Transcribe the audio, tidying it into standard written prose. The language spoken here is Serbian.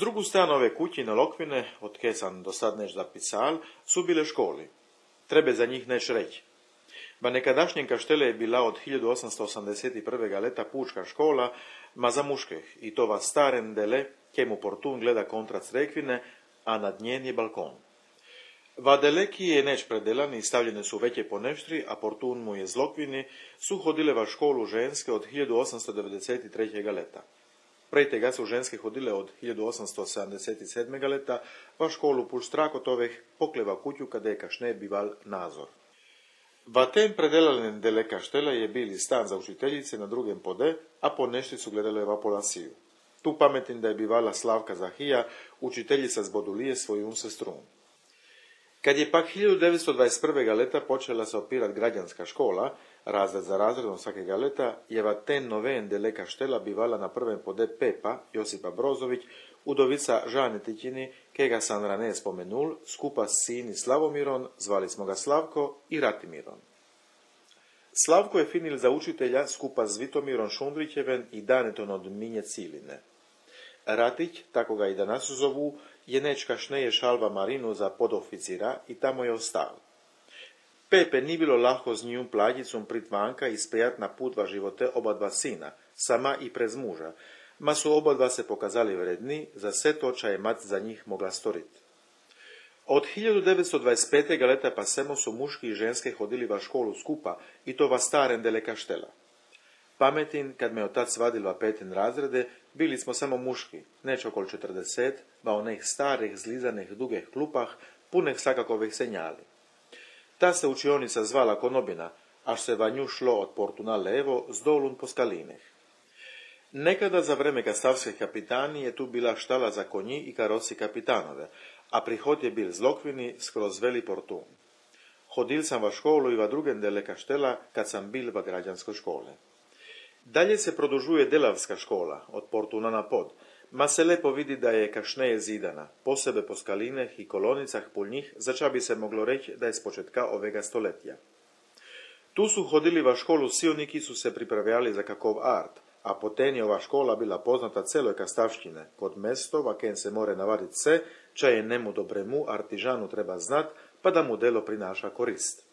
drugu stranu ove kućine lokvine, od ke sam do sad neš zapisal, su bile školi. Treba za njih neš reći. Ba nekadašnjem kaštele je bila od 1881. leta pučka škola, ma za muških, i to va staren dele, kemu portun gleda kontra crkvine, a nad njen je balkon. Va deleki je neč predelan i stavljene su veće poneštri, a portun mu je zlokvini, su hodile va školu ženske od 1893. leta. Prej tega su ženske hodile od 1877. leta, va školu puš Strakotoveh pokleva kuću kada je kašne bival nazor. Va tem predelanen dele kaštela je bili stan za učiteljice na drugem pode, a poneštri su gledale va polasiju. Tu pametim da je bivala Slavka Zahija, učiteljica z Bodulije svojun sestrun. Kad je pak 1921. leta počela se opirat građanska škola, razred za razredom svakega leta, je va ten noven dele kaštela bivala na prvem pode Pepa, Josipa Brozović, udovica Žane Tićini, kega sam rane spomenul, skupa s sini Slavomiron, zvali smo ga Slavko i Ratimiron. Slavko je finil za učitelja skupa s Vitomirom Šundrićeven i Daneton od Minje Ciline. Ratić, tako ga i danas zovu, je nečka šneje šalva Marinu za podoficira i tamo je ostal. Pepe ni bilo lahko z njim plađicom pritvanka i spejat na put va živote oba dva sina, sama i prez muža, ma su oba dva se pokazali vredni, za sve to ča je mat za njih mogla storiti. Od 1925. leta pa semo su muški i ženske hodili va školu skupa i to va staren dele kaštela. Pametin, kad me otac vadil va petin razrede, bili smo samo muški, neč okol 40, va onih starih, zlizanih, dugih klupah, punih svakakovih senjali. Ta se učionica zvala Konobina, až se va nju šlo od portu na levo, z dolun po skalineh. Nekada za vreme kastavske kapitani je tu bila štala za konji i karoci kapitanove, a prihod je bil zlokvini skroz veli portun. Hodil sam va školu i va drugem dele kaštela, kad sam bil va građanskoj škole. Dalje se produžuje delavska škola, od portuna na pod, ma se lepo vidi da je kašneje zidana, posebe po skalineh i kolonicah pol njih, zača bi se moglo reći da je s početka ovega stoletja. Tu su hodili va školu silniki su se pripravljali za kakov art, a poten je ova škola bila poznata celoj kastavštine, kod mesto, va ken se more navadit se, ča je nemu dobremu artižanu treba znat, pa da mu delo prinaša korist.